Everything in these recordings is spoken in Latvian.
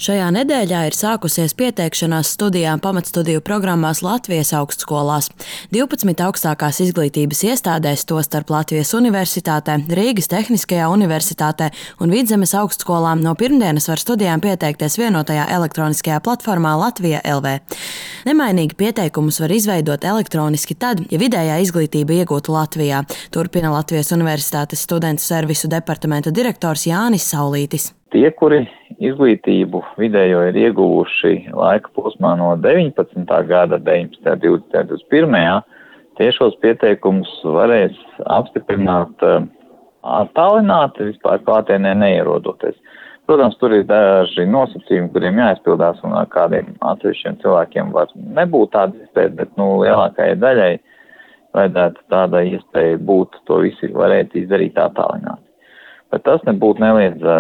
Šajā nedēļā ir sākusies pieteikšanās studijām pamatstudiju programmās Latvijas augstskolās. 12 augstākās izglītības iestādēs, tostarp Latvijas Universitātē, Rīgas Tehniskajā universitātē un Vidzemes augstskolām no pirmdienas var studijām pieteikties vienotajā elektroniskajā platformā Latvija LV. Nemainīgi pieteikumus var izveidot elektroniski tad, ja vidējā izglītība iegūta Latvijā, turpina Latvijas Universitātes studentu servisu departamenta direktors Jānis Saulītis. Tie, kuri izglītību vidējo ir ieguvuši laika posmā no 19. gada, 19., 20., 21. tie šos pieteikumus varēs apstiprināt attālināti, vispār klātienē neierodoties. Protams, tur ir daži nosacījumi, kuriem jāizpildās, un ar kādiem atsevišķiem cilvēkiem var nebūt tāda iespēja, bet lielākajai daļai vajadzētu tāda iespēja būt, to visi varētu izdarīt attālināti. Bet tas nebūtu neliedz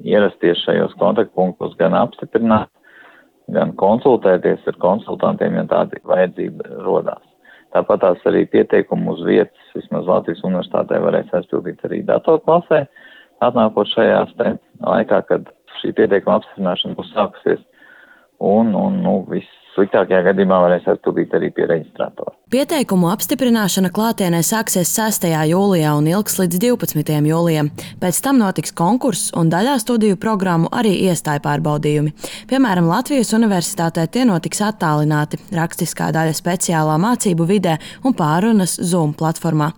ierasties šajos kontaktpunktos, gan apstiprināt, gan konsultēties ar konsultantiem, ja tāda vajadzība rodās. Tāpat tās arī pieteikumu uz vietas, vismaz Latvijas universitātē varēs aizpildīt arī datorklasē, atnākot šajās laikā, kad šī pieteikuma apstiprināšana būs sākusies, un vissliktākajā gadījumā varēs aizpildīt arī pie reģistrātora. Pieteikumu apstiprināšana klātienē sāksies 6. jūlijā un ilgs līdz 12. jūlijam. Pēc tam notiks konkurss un daļā studiju programmu arī iestāju pārbaudījumi. Piemēram, Latvijas Universitātē tie notiks attālināti, rakstiskā daļa speciālā mācību vidē un pārunas Zoom platformā.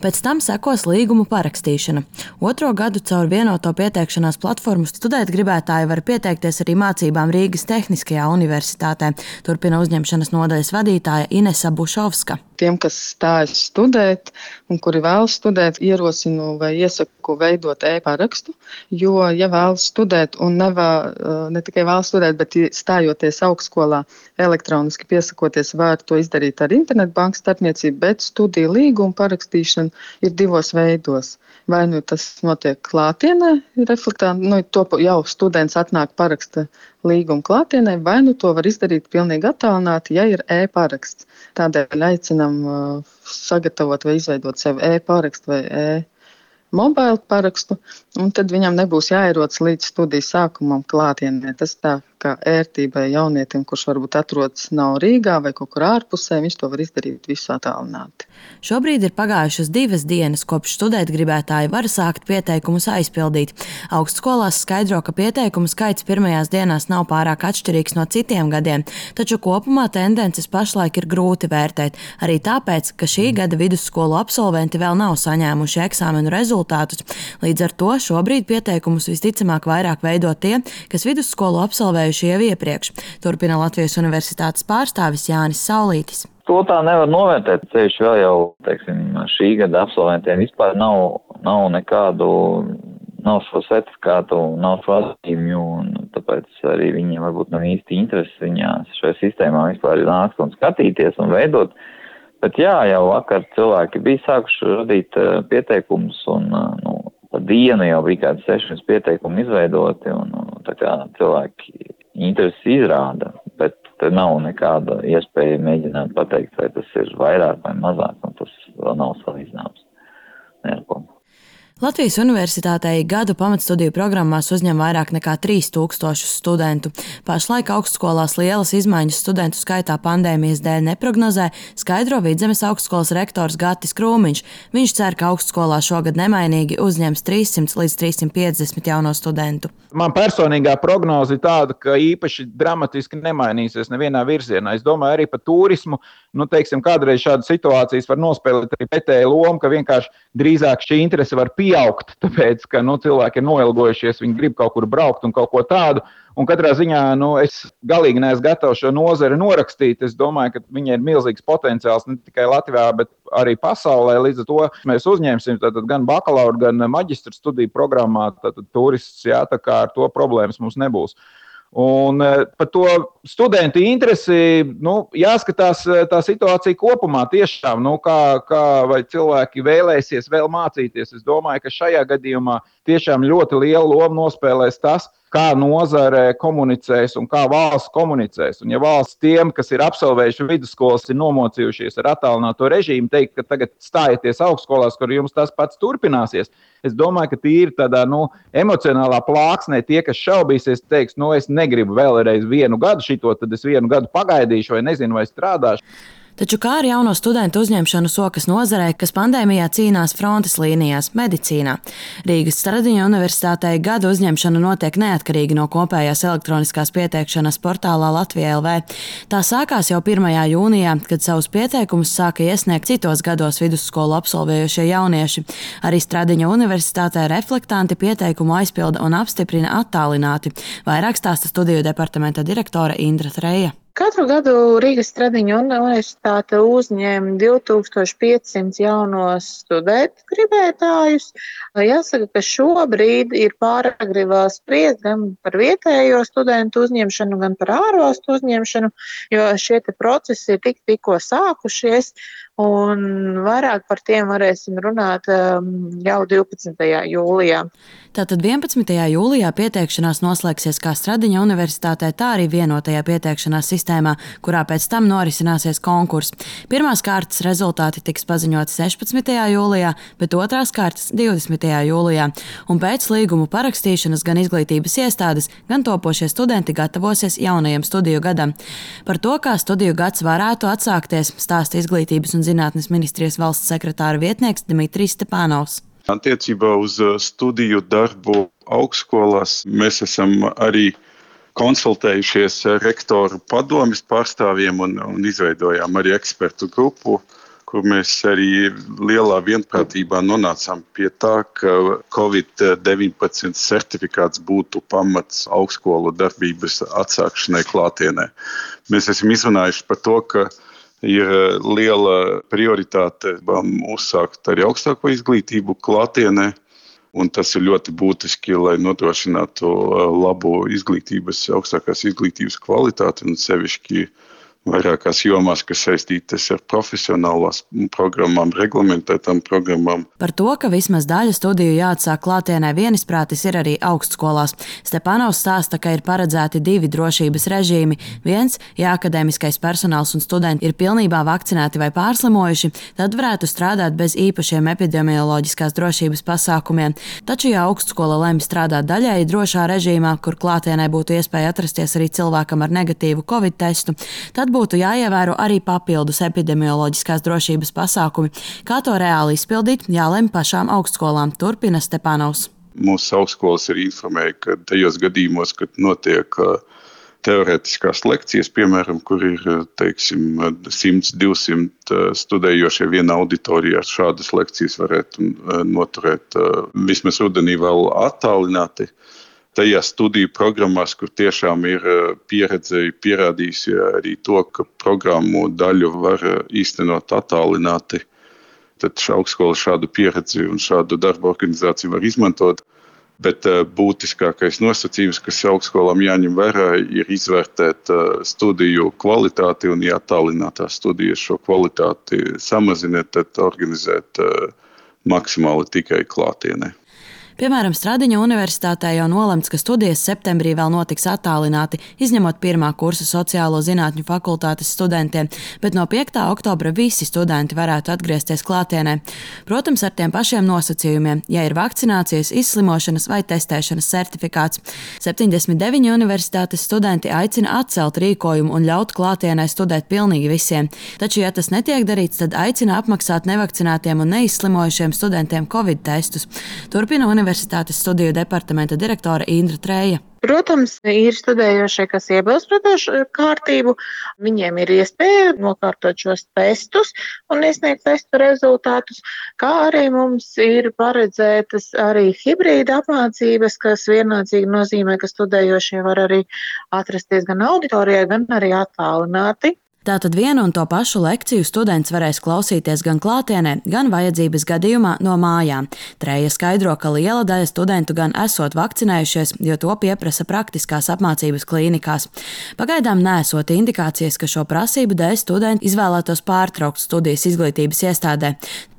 Pēc tam sekos līgumu parakstīšana. 2. gadu caur vienoto pieteikšanās platformu studēt gribētāji var pieteikties arī mācībām Rīgas Tehniskajā universitātē, turpina uzņemšanas nodaļas vadītāja Inesa Bušovska. Tiem, kas stājas studēt un kuri vēlas studēt, ierosinu vai iesaku veidot e-parakstu, jo, ja vēlas studēt un ne tikai vēlas studēt, bet stājoties augstskolā elektroniski piesakoties, var to izdarīt ar internetbankas starpniecību, bet studiju līgumu parakstīšana ir 2 veidos. Vai tas notiek klātienē, to jau students atnāk paraksta līgumu klātienē, vai to var izdarīt pilnīgi attālināti, ja ir e-paraksts. Tādēļ aicinam sagatavot vai izveidot sev e-parakstu vai e-mobile parakstu, un tad viņam nebūs jāierodas līdz studiju sākumam klātienē. Tas tā kā ērtībai jaunietim, kurš varbūt atrodas nav Rīgā vai kaut kur ārpusē, viņš to var izdarīt visu attālināti. Šobrīd ir pagājušas 2 dienas, kopš studēt gribētāji var sākt pieteikumus aizpildīt. Augstskolās skaidro, ka pieteikumu skaits pirmajās dienās nav pārāk atšķirīgs no citiem gadiem, taču kopumā tendences pašlaik ir grūti vērtēt. Arī tāpēc, ka šī gada vidusskolu absolventi vēl nav saņēmuši eksāmenu rezultātus. Līdz ar to šobrīd pieteikumus visticamāk vairāk veido tie, kas vidusskolu absolvējuši jau iepriekš, turpina Latvijas Universitātes pārstāvis Jānis Saulītis. To tā nevar novērtēt, ceļš vēl jau, šī gada absolventiem vispār nav nekādu, nav šo certifikātu, nav šo atzīmju, un tāpēc arī viņiem varbūt nav īsti interesi viņās šajā sistēmā vispār nākt un skatīties un veidot. Bet jā, jau vakar cilvēki bija sākuši radīt pieteikumus, un pa dienu jau bija kāds 6 pieteikumi izveidoti, un tā kā cilvēki interesi izrāda, bet te nav nekāda iespēja mēģināt pateikt, vai tas ir vairāk vai mazāk, un tas vēl nav salīdzināms. Latvijas Universitātei gadu pamatstudiju programmās uzņem vairāk nekā 3000 studentu. Pašlaik augstskolās lielas izmaiņas studentu skaitā pandēmijas dēļ neprognozē, skaidro Vidzemes augstskolas rektors Gatis Krūmiņš. Viņš cer, ka augstskolā šogad nemainīgi uzņems 300 līdz 350 jauno studentu. Man personīgā prognoze ir tāda, ka īpaši dramatiski nemainīsies nevienā virzienā. Es domāju arī par turismu. Kādreiz šādas situācijas var nospēlēt arī pretēju lomu, ka vienkārši drīzāk šī interese var pieaugt, tāpēc, ka cilvēki ir noilgojušies, viņi grib kaut kur braukt un kaut ko tādu. Un katrā ziņā es galīgi neesmu gatavs šo nozari norakstīt. Es domāju, ka viņai ir milzīgs potenciāls ne tikai Latvijā, bet arī pasaulē. Līdz ar to mēs uzņemsim gan bakalaura, gan maģistra studiju programmā turistus, tā kā ar to problēmas mums nebūs. Un par to studentu interesi jāskatās tā situācija kopumā tiešām, vai cilvēki vēlēsies vēl mācīties. Es domāju, ka šajā gadījumā tiešām ļoti lielu lomu nospēlēs tas, kā nozare komunicēs un kā valsts komunicēs. Un ja valsts tiem, kas ir absolvējuši vidusskolas, ir nomocījušies ar attālināto režīmu, teikt, ka tagad stājieties augstskolās, kur jums tas pats turpināsies, es domāju, ka tīri tādā emocionālā plāksnē tie, kas šaubīsies, teiks, es negribu vēlreiz 1 gadu šito, tad es 1 gadu pagaidīšu vai nezinu, vai strādāšu. Taču kā ar jauno studentu uzņemšanu sokas nozarē, kas pandēmijā cīnās frontes līnijās, medicīnā? Rīgas Stradiņa universitātei gada uzņemšana notiek neatkarīgi no kopējās elektroniskās pieteikšanas portālā Latvija LV. Tā sākās jau 1. jūnijā, kad savus pieteikumus sāka iesniegt citos gados vidusskolu absolvējušie jaunieši. Arī Stradiņa universitātē reflektanti pieteikumu aizpilda un apstiprina attālināti. Vairāk stāsta studiju departamenta direktore Indra Treja. Katru gadu Rīgas Stradiņa universitāte uzņem 2500 jaunos studentu gribētājus. Jāsaka, ka šobrīd ir pāragri vēl spriest gan par vietējo studentu uzņemšanu, gan par ārvalstu uzņemšanu, jo šie procesi ir tikko sākušies. Un vairāk par tiem varēsim runāt jau 12. jūlijā. Tātad 11. jūlijā pieteikšanās noslēgsies kā Stradiņa universitātē, tā arī vienotajā pieteikšanās sistēmā, kurā pēc tam norisināsies konkurss. Pirmās kārtas rezultāti tiks paziņoti 16. jūlijā, bet otrās kārtas 20. jūlijā. Un pēc līgumu parakstīšanas gan izglītības iestādes, gan topošie studenti gatavosies jaunajam studiju gadam. Par to, kā studiju gads varētu atsākties, stāsta Izglītības un zinātnes ministrijas valsts sekretāra vietnieks Dmitrijs Stepanovs. Attiecībā uz studiju darbu augstskolās mēs esam arī konsultējušies ar rektoru padomes pārstāvjiem un izveidojām arī ekspertu grupu, kur mēs arī lielā vienprātībā nonācām pie tā, ka COVID-19 certifikāts būtu pamats augstskolu darbības atsākšanai klātienē. Mēs esam izrunājuši par to, ka ir liela prioritāte uzsākt arī augstāko izglītību klātienē, un tas ir ļoti būtiski, lai nodrošinātu labu augstākās izglītības kvalitāti un sevišķi vairākās jomās, kas saistītas ar profesionālās programmām, reglamentētām programmām. Par to, ka vismaz daļa studiju jāatsāk klātienē vienisprātis, ir arī augstskolās. Stepanovs stāsta, ka ir paredzēti 2 drošības režīmi. Viens, ja akadēmiskais personāls un studenti ir pilnībā vakcinēti vai pārslimojuši, tad varētu strādāt bez īpašiem epidemioloģiskās drošības pasākumiem. Taču, ja augstskola lemj strādāt daļēji drošā režīmā, kur klātienē būtu iespēja atrasties arī cilvēkam ar negatīvu Covid testu, tad būtu jāievēro arī papildus epidemioloģiskās drošības pasākumi. Kā to reāli izpildīt, jālemj pašām augstskolām, turpina Stepanovs. Mūsu augstskolas ir informēja, ka tajos gadījumos, kad notiek teorētiskās lekcijas, piemēram, kur ir 100-200 studējošie vienā auditorijā, šādas lekcijas varētu noturēt vismaz rudenī vēl attālināti. Tajās studiju programmās, kur tiešām ir pieredze pierādījusi arī to, ka programmu daļu var īstenot attālināti, tad augstskola šādu pieredzi un šādu darba organizāciju var izmantot. Bet būtiskākais nosacījums, kas augstskolām jāņem vērā, ir izvērtēt studiju kvalitāti, un ja attālinātās studijas šo kvalitāti samazina, tad organizēt maksimāli tikai klātienē. Piemēram, Stradiņa universitātē jau nolemts, ka studijas septembrī vēl notiks attālināti, izņemot 1. kursa sociālo zinātņu fakultātes studentiem, bet no 5. oktobra visi studenti varētu atgriezties klātienē. Protams, ar tiem pašiem nosacījumiem, ja ir vakcinācijas, izslimošanas vai testēšanas certifikāts. 79 universitātes studenti aicina atcelt rīkojumu un ļaut klātienē studēt pilnīgi visiem. Taču, ja tas netiek darīts, tad aicina apmaksāt nevakcinētiem un neizslimojušiem studentiem Covid testus. Turpina Universitātes studiju departamenta direktore Indra Treja. Protams, ir studējošie, kas iebilst pret šo kārtību. Viņiem ir iespēja nokārtot šos testus un iesniegt testu rezultātus, kā arī mums ir paredzētas arī hibrīda apmācības, kas vienlaicīgi nozīmē, ka studējošie var arī atrasties gan auditorijā, gan arī attālināti. Tātad vienu un to pašu lekciju students varēs klausīties gan klātienē, gan vajadzības gadījumā no mājām. Treja skaidro, ka liela daļa studentu gan esot vakcinējušies, jo to pieprasa praktiskās apmācības klīnikās. Pagaidām nesot indikācijas, ka šo prasību dēļ studenti izvēlētos pārtraukt studijas izglītības iestādē.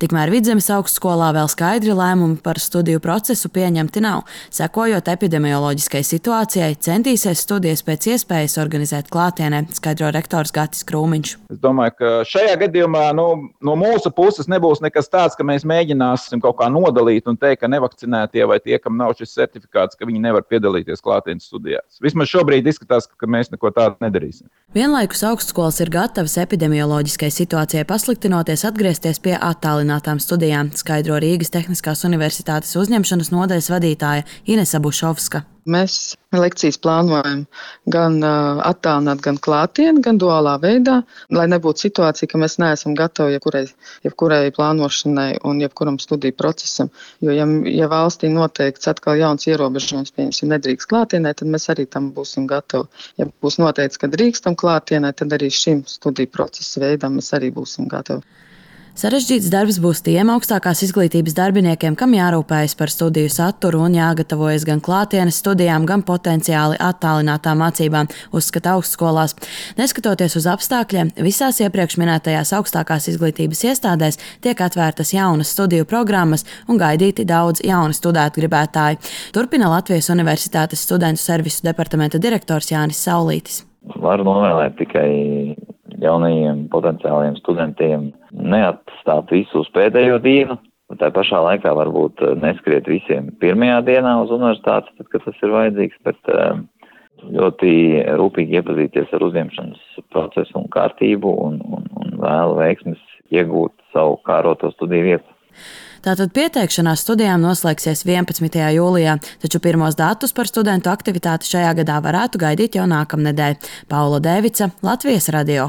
Tikmēr Vidzemes augstskolā vēl skaidri lēmumi par studiju procesu pieņemti nav. Sekojot epidemioloģiskai situācijai, centīsies studijas pēc iespējas organizēt klātienē, skaidro rektors Gatis Krūmiņš. Es domāju, ka šajā gadījumā no mūsu puses nebūs nekas tāds, ka mēs mēģināsim kaut kā nodalīt un teikt, ka nevakcinētie vai tie, kam nav šis certifikāts, ka viņi nevar piedalīties klātienes studijās. Vismaz šobrīd izskatās, ka mēs neko tādu nedarīsim. Vienlaikus augstskolas ir gatavas epidemioloģiskai situācijai pasliktinoties atgriezties pie attālinātām studijām, skaidro Rīgas Tehniskās universitātes uzņemšanas nodaļas vadītāja Inese Bušovska. Mēs lekcijas plānojam gan attālināt, gan klātienē, gan duālā veidā, lai nebūtu situācija, ka mēs neesam gatavi jebkurai plānošanai un jebkuram studiju procesam. Jo, ja valstī noteikts atkal jauns ierobežojums, pieņemsim, nedrīkst klātienē, tad mēs arī tam būsim gatavi. Ja būs noteikts, ka drīkstam klātienē, tad arī šim studiju procesa veidam mēs arī būsim gatavi. Sarežģīts darbs būs tiem augstākās izglītības darbiniekiem, kam jārūpējas par studiju saturu un jāgatavojas gan klātienes studijām, gan potenciāli attālinātām mācībām, uzskata augstskolās. Neskatoties uz apstākļiem, visās iepriekš minētajās augstākās izglītības iestādēs tiek atvērtas jaunas studiju programmas un gaidīti daudz jauni studēt gribētāji. Turpina Latvijas Universitātes studentu servisu departamenta direktors Jānis Saulītis. Varu novēlēt tikai jaunajiem potenciāliem studentiem neatstāt visu uz pēdējo dienu, un tā pašā laikā varbūt neskriet visiem pirmajā dienā uz universitātes, tad, kad tas ir vajadzīgs, bet ļoti rūpīgi iepazīties ar uzņemšanas procesu un kārtību un vēlu veiksmes iegūt savu kāroto studiju vietu. Tātad pieteikšanās studijām noslēgsies 11. jūlijā, taču pirmos datus par studentu aktivitāti šajā gadā varētu gaidīt jau nākamnedēļ. Paula Dēvica, Latvijas radio.